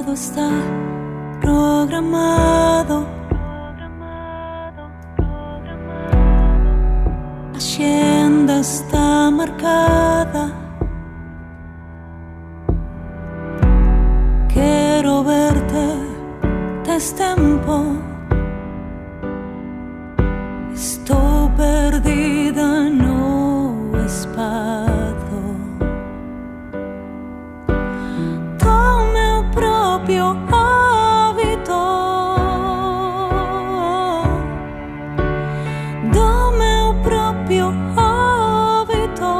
Todo está programado. La agenda está marcada. Quiero verte destempo. Sto perdida no espacio. Do meu proprio hábito. Do meu proprio hábito.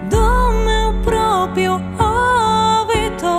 Do meu proprio hábito.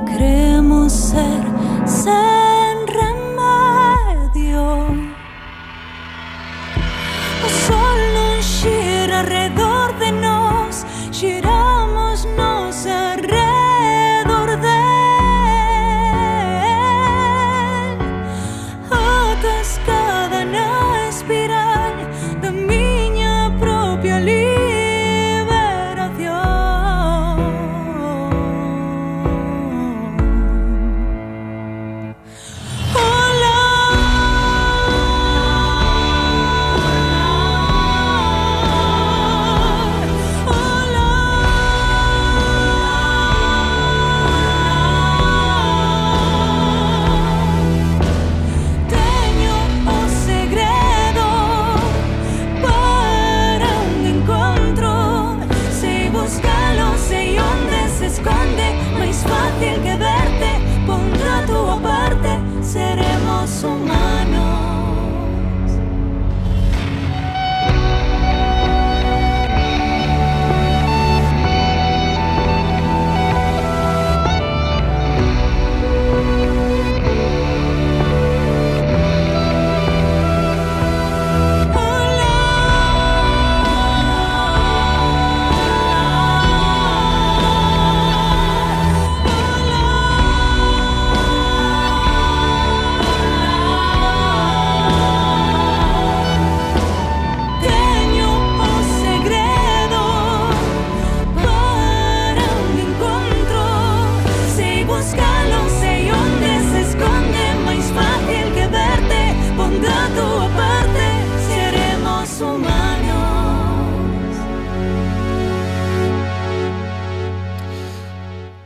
Queremos ser sin remedio. O sol non gira alrededor de nós, giramos nos alrededor del. Atascada na espiral da miña propia seremos humanos.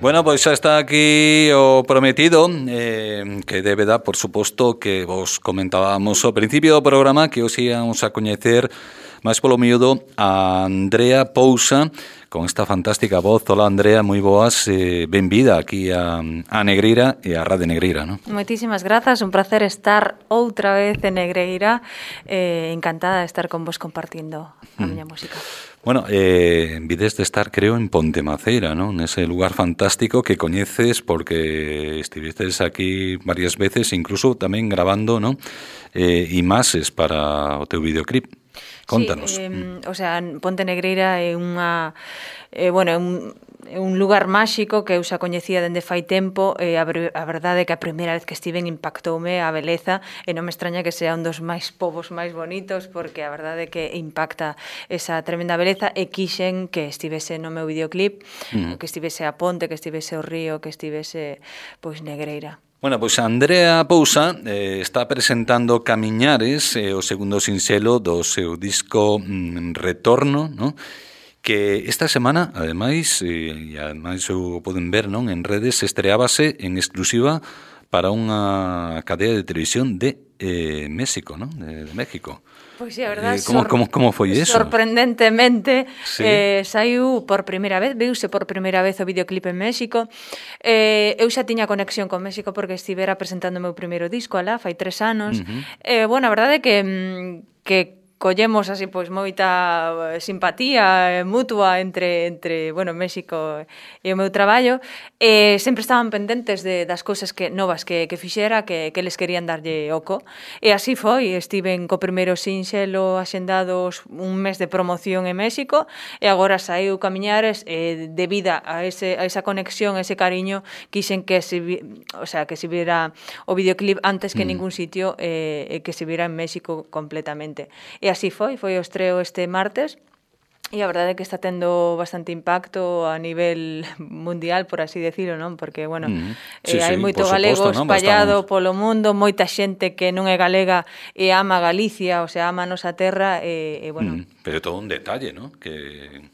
Bueno, pois xa está aquí o prometido, que debe dar, por suposto, que vos comentábamos ao principio do programa, que os íamos a coñecer máis polo miúdo a Andrea Pousa, con esta fantástica voz. Hola, Andrea, moi boas, benvida aquí a Negreira e a Radio Negreira, non? Moitísimas grazas, un placer estar outra vez en Negreira, encantada de estar con vos compartindo a miña música. Bueno, vides de estar, creo, en Pontemaceira, ¿no? Nese lugar fantástico que coñeces porque estivistes aquí varias veces, incluso tamén grabando, ¿no? Imaxes para o teu videoclip. Contanos. Sí, o sea, Ponte Negreira é unha... bueno, é un lugar máxico que eu xa coñecía dende fai tempo, e a verdade é que a primeira vez que estiven impactoume a beleza, e non me extraña que sea un dos máis povos máis bonitos, porque a verdade é que impacta esa tremenda beleza, e quixen que estivese no meu videoclip, que estivese a ponte, que estivese o río, que estivese, pois, Negreira. Bueno, pois Andrea Pousa está presentando Camiñares, o segundo sinxelo do seu disco Retorno, ¿no? Que esta semana, ademais, e ademais o poden ver, non, en redes, estreábase en exclusiva para unha cadea de televisión de México, ¿no? De México. Pois é, a verdade, como foi iso? Sorprendentemente, sí. Saiu por primeira vez, viuse por primeira vez o videoclip en México. Eu xa tiña conexión con México porque estivera presentando o meu primeiro disco alá, fai 3 anos. Bueno, a verdade é que collemos así pois moita simpatía mutua entre bueno, México e o meu traballo, e sempre estaban pendentes das cousas novas que fixera, que eles querían darlle oco, e así foi. Estiven co primeiro sinxelo axendados un mes de promoción en México, e agora saiu Camiñares, debido a esa conexión, ese cariño, quixen que se viera o videoclip antes que ningún sitio, e que se viera en México completamente. E así foi o estreo este martes, e a verdade é que está tendo bastante impacto a nivel mundial, por así decirlo, non? Porque, bueno, hai moito galego espallado polo mundo, moita xente que non é galega e ama Galicia, o sea, ama a nosa terra, e bueno... Pero todo un detalle, non? Que...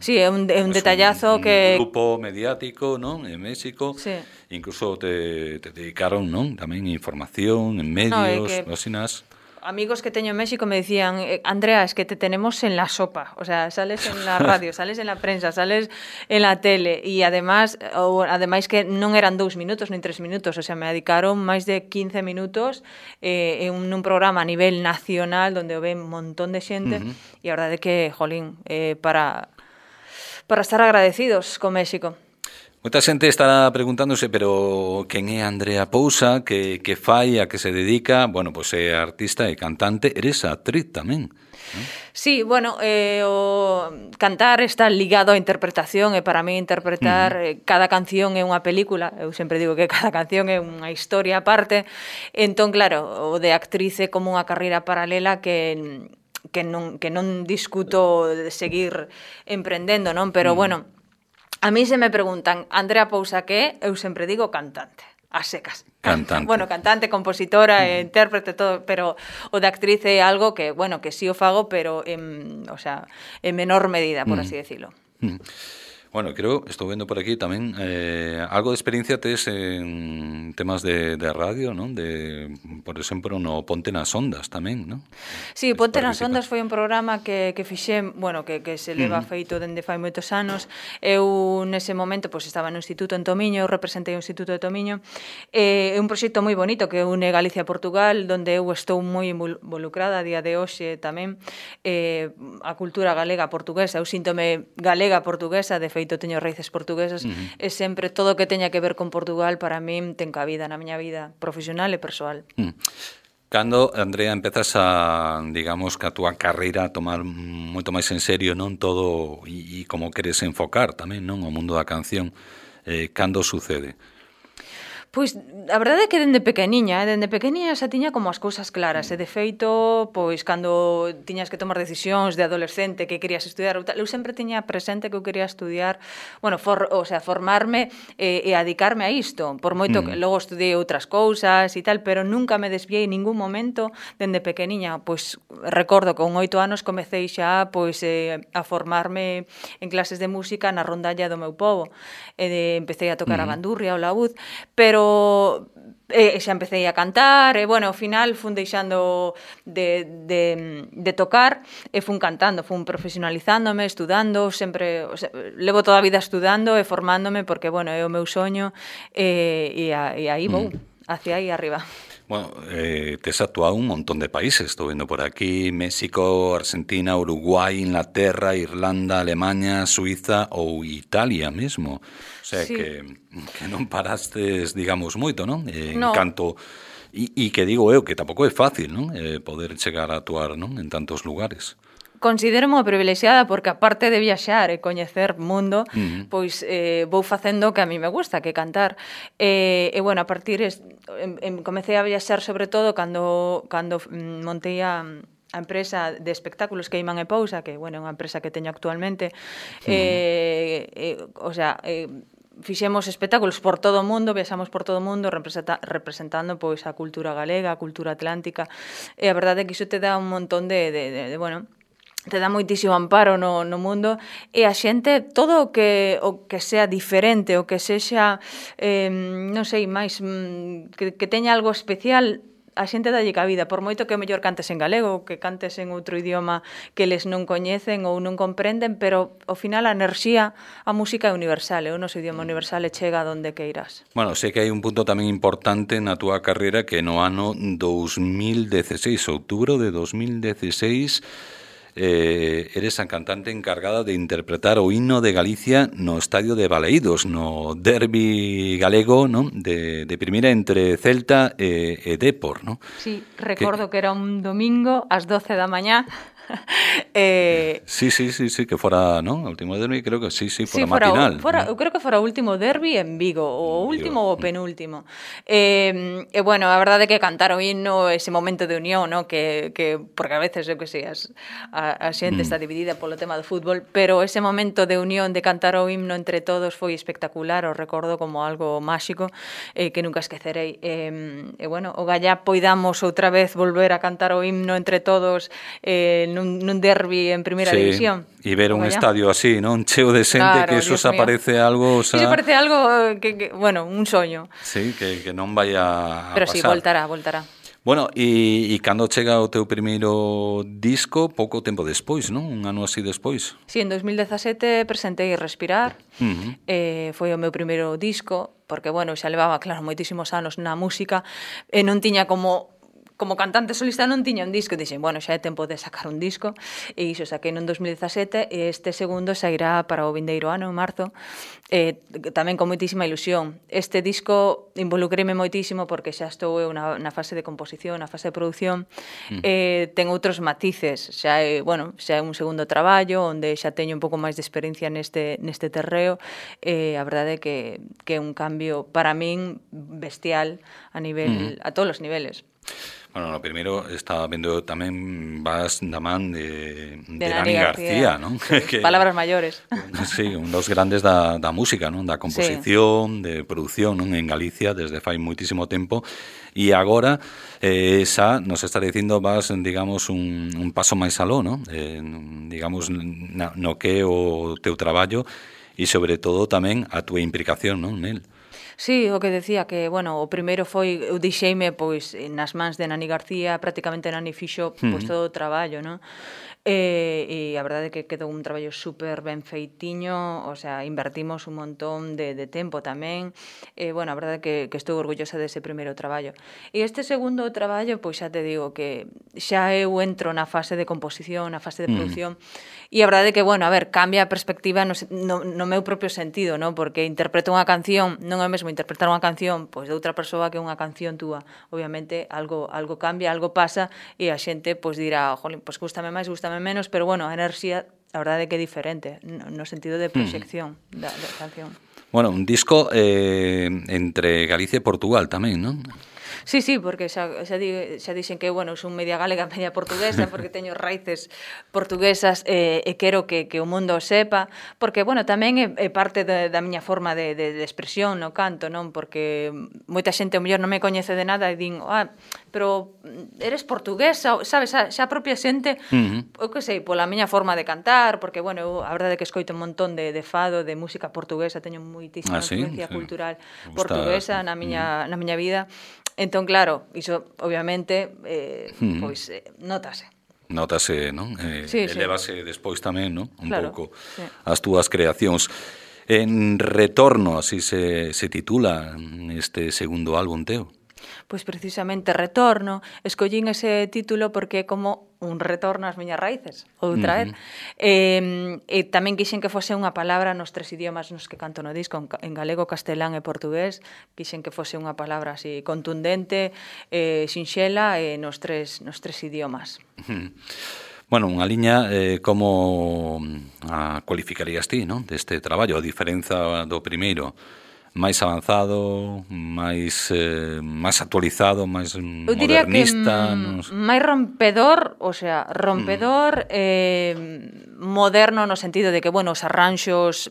Sí, é un detallazo que... Un grupo mediático, non? En México, sí. Incluso te dedicaron, non? Tamén información en medios, nosinas... Amigos que teño en México me decían, Andrea, es que te tenemos en la sopa, o sea, sales en la radio, sales en la prensa, sales en la tele, e ademais que non eran 2 minutos nin 3 minutos, o sea, me dedicaron máis de 15 minutos en un programa a nivel nacional donde o ven un montón de xente, e a verdade é que, jolín, para estar agradecidos con México. Moita xente estará preguntándose, pero quen é Andrea Pousa, que fai, a que se dedica? Bueno, pois é artista e cantante, eres actriz tamén, non? Sí, bueno, o cantar está ligado á interpretación, e para mí interpretar cada canción é unha película. Eu sempre digo que cada canción é unha historia aparte. Entón, claro, o de actriz é como unha carreira paralela que non discuto de seguir emprendendo, non? Pero, bueno, a mí se me preguntan, Andrea Pousa, que eu sempre digo cantante, a secas. Cantante. Bueno, cantante, compositora, intérprete, todo, pero o de actriz é algo que, bueno, que sí o fago, pero en menor medida, por así decirlo. Bueno, creo, estou vendo por aquí tamén algo de experiencia tes en temas de radio, non? Por exemplo, no Ponte nas Ondas tamén, non? Sí, Ponte nas Ondas foi un programa que fixen, bueno, que se leva feito dende fai moitos anos. Eu nese momento pois estaba no Instituto en Tomiño, eu representei o Instituto de Tomiño. É un proxecto moi bonito que une Galicia e Portugal, donde eu estou moi involucrada a día de hoxe tamén, a cultura galega portuguesa. Eu síntome galega portuguesa, de feito teño raíces portuguesas, e sempre todo o que teña que ver con Portugal para min ten cabida na miña vida profesional e persoal. Cando, Andrea, empezas digamos, que a túa carreira a tomar moito máis en serio, non, todo, e como queres enfocar tamén, non, o mundo da canción, cando sucede? Pois, a verdade é que dende pequeniña xa tiña como as cousas claras, e de feito, pois, cando tiñas que tomar decisións de adolescente que querías estudiar, eu sempre tiña presente que eu quería estudiar, bueno, formarme e dedicarme a isto, por moito que logo estudiei outras cousas e tal, pero nunca me desviei en ningún momento dende pequeniña. Pois, recordo que con 8 anos comecei xa, pois, a formarme en clases de música na rondalla do meu pobo, e empecé a tocar a bandurria, o laúd, pero xa empecé a cantar, e, bueno, ao final fun deixando de tocar, e fun cantando, fun profesionalizándome, estudando, sempre, o sea, levo toda a vida estudando e formándome, porque, bueno, é o meu soño, e aí vou, hacia aí arriba. Bueno, tes actuado un montón de países, estou vendo por aquí, México, Argentina, Uruguai, Inglaterra, Irlanda, Alemanha, Suiza ou Italia mesmo. O sea, sí, que non parastes, digamos, moito, non? En canto... E que digo eu, que tampouco é fácil, non? Poder chegar a actuar, non? En tantos lugares. Considero-me privilexiada porque, aparte de viaxar e coñecer mundo, pois vou facendo o que a mí me gusta, que cantar. E bueno, a partir comecei a viaxar sobre todo cando montei a empresa de espectáculos que Imán e Pousa, que, bueno, é unha empresa que teño actualmente. O sea, fixemos espectáculos por todo o mundo, viaxamos por todo o mundo representando pois a cultura galega, a cultura atlántica, e a verdade é que iso te dá un montón de bueno, te dá moitísimo amparo no mundo, e a xente, todo o que sea diferente, o que sexa, non sei, máis, que teña algo especial, a xente dalle cabida, por moito que o mellor cantes en galego, que cantes en outro idioma que eles non coñecen ou non comprenden, pero ao final a enerxía, a música é universal, é o noso idioma universal e chega a donde queiras. Bueno, sei que hai un punto tamén importante na túa carreira que no ano 2016, outubro de 2016, eres a cantante encargada de interpretar o himno de Galicia no estadio de Balaídos, no derbi galego, non? De primeira entre Celta e Dépor, non? Sí, recordo que era un domingo ás 12 da mañá. Sí, que fora, non? O último derbi, creo que sí, fora matinal. Eu creo que fora o último derbi en Vigo, o último ou o penúltimo. Bueno, a verdade é que cantar o himno, ese momento de unión, ¿no? que porque a veces, eu que sei, a xente está dividida polo tema do fútbol, pero ese momento de unión, de cantar o himno entre todos foi espectacular, o recordo como algo máxico que nunca esquecerei. Bueno, o gallá poidamos outra vez volver a cantar o himno entre todos nun derbi en primeira división. E ver un estadio así, non? Cheo de xente, claro, que eso se parece algo... Eso parece algo que, bueno, un soño. Sí, que non vai a pero pasar. Pero sí, voltará. Bueno, e cando chega o teu primeiro disco, pouco tempo despois, non? Un ano así despois. Sí, en 2017 presentei Respirar, foi o meu primeiro disco, porque, bueno, xa levaba, claro, moitísimos anos na música, e non tiña como cantante solista non tiña un disco, dixen, bueno, xa é tempo de sacar un disco, e iso saquei no 2017, e este segundo sairá para o vindeiro ano, en marzo, tamén con moitísima ilusión. Este disco involucréme moitísimo porque xa estou eu na fase de composición, na fase de produción, ten outros matices, xa é un segundo traballo, onde xa teño un pouco máis de experiencia neste terreo, a verdade é que é un cambio para min bestial a nivel, a todos os niveles. Bueno, no primeiro estaba vendo tamén vas da man de Nani García, non? Sí, que, palabras maiores. Sí, un dos grandes da música, non? Da composición, sí, de produción, non? En Galicia desde fai moitísimo tempo, e agora xa nos está dicindo vas, digamos, un paso máis aló, non? Digamos, no que é o teu traballo e sobre todo tamén a túa implicación, non? Nel. Sí, o que decía que, bueno, o primeiro foi, eu deixeime, pois, nas mans de Nani García, prácticamente Nani fixo, pois, todo o traballo, non? E a verdade é que quedou un traballo super ben feitiño, o sea, invertimos un montón de tempo tamén, bueno, a verdade é que estou orgullosa dese primeiro traballo. E este segundo traballo, pois xa te digo que xa eu entro na fase de composición, na fase de producción, e a verdade é que, bueno, a ver, cambia a perspectiva no meu propio sentido, non? Porque interpreto unha canción, non é mesmo interpretar unha canción pois de outra persoa que unha canción túa. Obviamente algo cambia, algo pasa e a xente pois dirá, jolín, pois gústame máis, gústame menos, pero bueno, a enerxía a verdade é que é diferente no sentido de proxección da canción. Bueno, un disco entre Galicia e Portugal tamén, non? Sí, porque xa dixen que, bueno, son media galega, media portuguesa, porque teño raíces portuguesas e quero que o mundo o sepa, porque, bueno, tamén é parte da miña forma de expresión no canto, non? Porque moita xente, o mellor, non me coñece de nada e din, pero eres portuguesa, sabes, xa a propia xente, eu que sei, pola miña forma de cantar, porque, bueno, eu, a verdade é que escoito un montón de fado, de música portuguesa, teño moitísima influencia cultural portuguesa na miña vida. Entón, claro, iso, obviamente, pois, notase. Notase, non? Elevase despois tamén, non? Un pouco as túas creacións. En Retorno, así se titula este segundo álbum teu. Pois precisamente Retorno, escollín ese título porque é como un retorno ás miñas raíces, outra vez. E tamén quixen que fose unha palabra nos tres idiomas nos que canto no disco, en galego, castelán e portugués, quixen que fose unha palabra así contundente, sinxela, nos tres idiomas. Bueno, unha liña, como a cualificarías ti, non? Deste traballo, a diferenza do primeiro, máis avanzado, máis actualizado, máis modernista. Eu diría que máis rompedor, o sea, moderno no sentido de que, bueno, os arranxos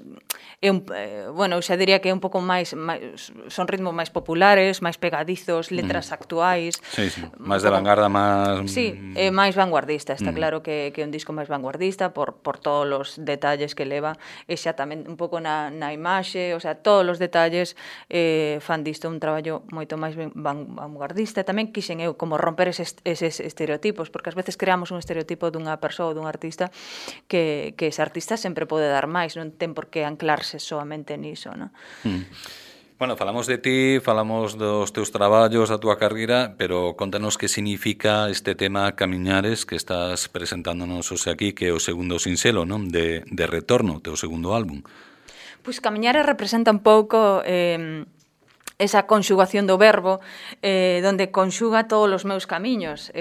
bueno, eu xa diría que é un pouco máis son ritmos máis populares, máis pegadizos, letras actuais. Sí, máis de vanguarda, máis... Sí, máis vanguardista, está claro que é un disco máis vanguardista por todos os detalles que leva, e xa tamén un pouco na imaxe, o sea, todos os detalles fan disto un traballo moito máis vanguardista. Tamén quixen eu como romper eses estereotipos, porque ás veces creamos un estereotipo dunha persoa ou dun artista que ese artista sempre pode dar máis, non ten por que anclarse soamente niso, non? Bueno, falamos de ti, falamos dos teus traballos, da túa carreira, pero contanos que significa este tema Camiñares que estás presentándonos hoxe aquí, que é o segundo sinxelo, non? De Retorno, teu segundo álbum. Pois Camiñares representa un pouco esa conxugación do verbo, donde conxuga todos os meus camiños,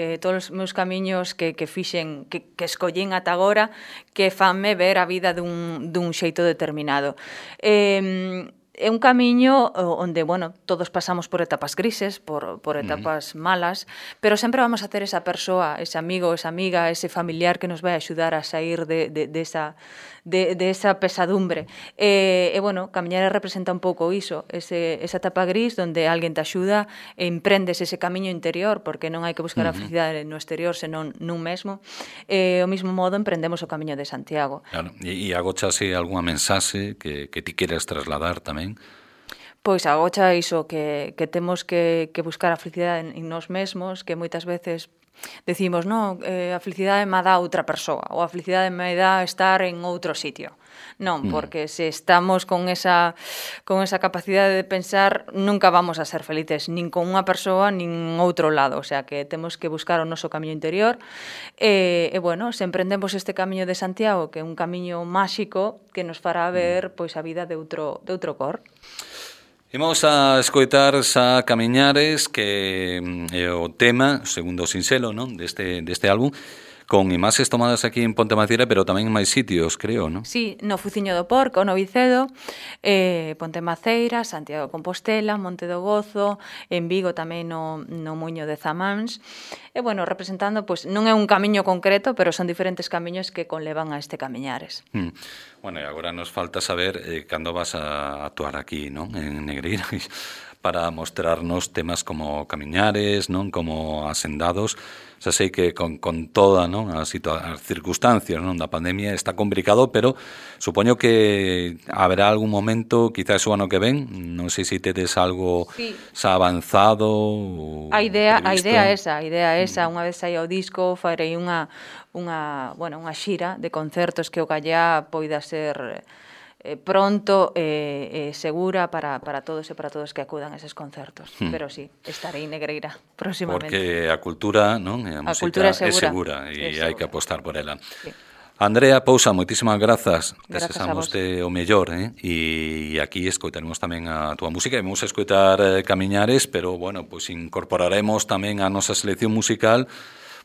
que fixen, que escollín ata agora, que fanme ver a vida dun xeito determinado. É un camiño onde, bueno, todos pasamos por etapas grises, por etapas malas, pero sempre vamos a ter esa persoa, ese amigo, esa amiga, ese familiar que nos vai axudar a sair de esa pesadumbre. E, bueno, Camiñares representa un pouco iso, esa etapa gris onde alguén te axuda e emprendes ese camiño interior, porque non hai que buscar a felicidade no exterior, senón nun mesmo. O mismo modo emprendemos o Camiño de Santiago. Claro, e agochase algunha mensaxe que ti queres trasladar tamén? Pois agocha iso, que temos que buscar a felicidade en nós mesmos, que moitas veces decimos, non, a felicidade me dá outra persoa, ou a felicidade me dá estar en outro sitio. Non, porque se estamos con esa capacidade de pensar, nunca vamos a ser felices, nin con unha persoa, nin outro lado. O sea, que temos que buscar o noso camiño interior. E bueno, se emprendemos este camiño de Santiago, que é un camiño máxico que nos fará ver pois a vida de outro cor. Imos a escoitar xa Camiñares, que é o tema, o segundo sinxelo, non, deste álbum, con imaxes tomadas aquí en Ponte Maciera, pero tamén en máis sitios, creo, non? Sí, no Fuciño do Porco, no Vicedo, Ponte Maceira, Santiago de Compostela, Monte do Gozo, en Vigo tamén no Muiño de Zamáns. E, bueno, representando, pois, non é un camiño concreto, pero son diferentes camiños que conlevan a este Camiñares. Bueno, e agora nos falta saber cando vas a actuar aquí, non? En Negreira, para mostrarnos temas como Camiñares, non? Como Asendados. Xa sei que con toda, non, as circunstancias, non, da pandemia está complicado, pero supoño que haberá algún momento, quizás o ano que ven, non sei se tedes algo xa avanzado. A idea é esa, unha vez saia o disco, farei unha xira de concertos que o gallá poida ser pronto segura para todos e para todos que acudan a eses concertos. Pero sí, estarei en Negreira próximamente. Porque a cultura, non? A música é segura e hai que apostar por ela. Sí. Andrea Pousa, moitísimas grazas. Desexamos o mellor, e aquí escoitaremos tamén a túa música. Vamos a escoitar Camiñares, pero, bueno, pois incorporaremos tamén a nosa selección musical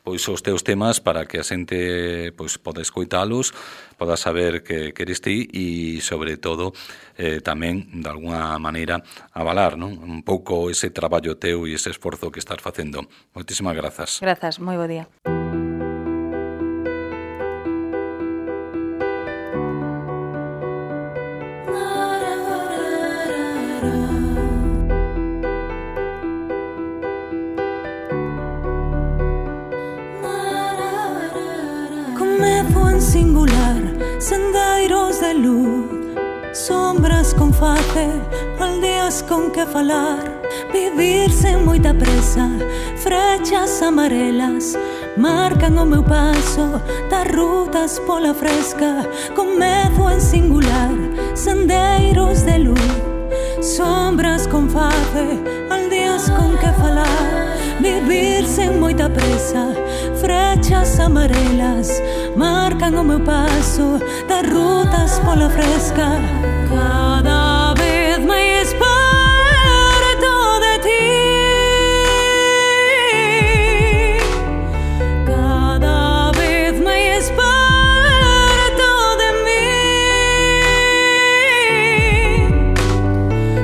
pois os teus temas para que a xente pois poda escoitalos, poda saber que eres ti e, sobre todo, tamén, de alguna maneira, avalar, non? Un pouco ese traballo teu e ese esforzo que estás facendo. Moitísimas grazas. Grazas, moi bo día. Singular, sendeiros de luz, sombras con face, aldeas con que falar, vivir sen moita presa, frechas amarelas marcan o meu paso das rutas pola fresca, con medo en singular, sendeiros de luz, sombras con face, aldeas con que falar, vivir sen moita presa, frechas amarelas marcan o meu paso das rutas pola fresca, cada vez máis perto de ti, cada vez máis perto de mí,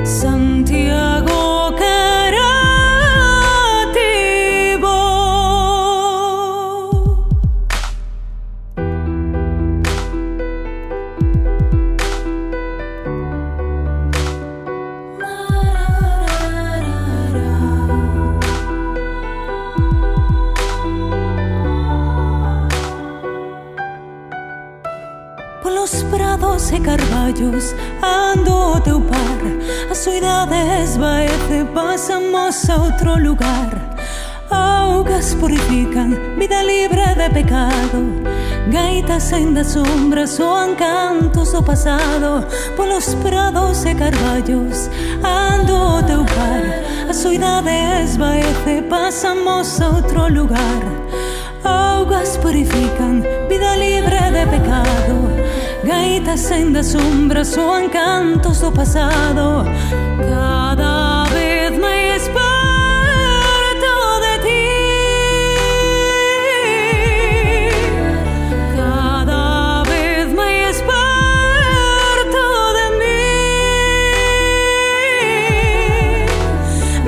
Santiago querativo. prados e carballos ando o teu par. A soidade esvaece, pasamos a outro lugar. Augas purifican, vida libre de pecado. Gaitas en das sombras soan cantos do pasado. Polos prados e carballos ando o teu par. A soidade esvaece, pasamos a outro lugar. Augas purifican, vida libre de pecado. Gaitas en das sombras soan cantos do pasado. Cada vez máis perto de ti, cada vez máis perto de mí.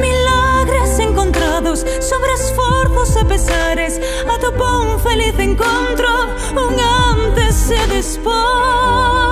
Milagres encontrados sobre esforzos e pesares. Atopou un feliz encontro, un antes e despois.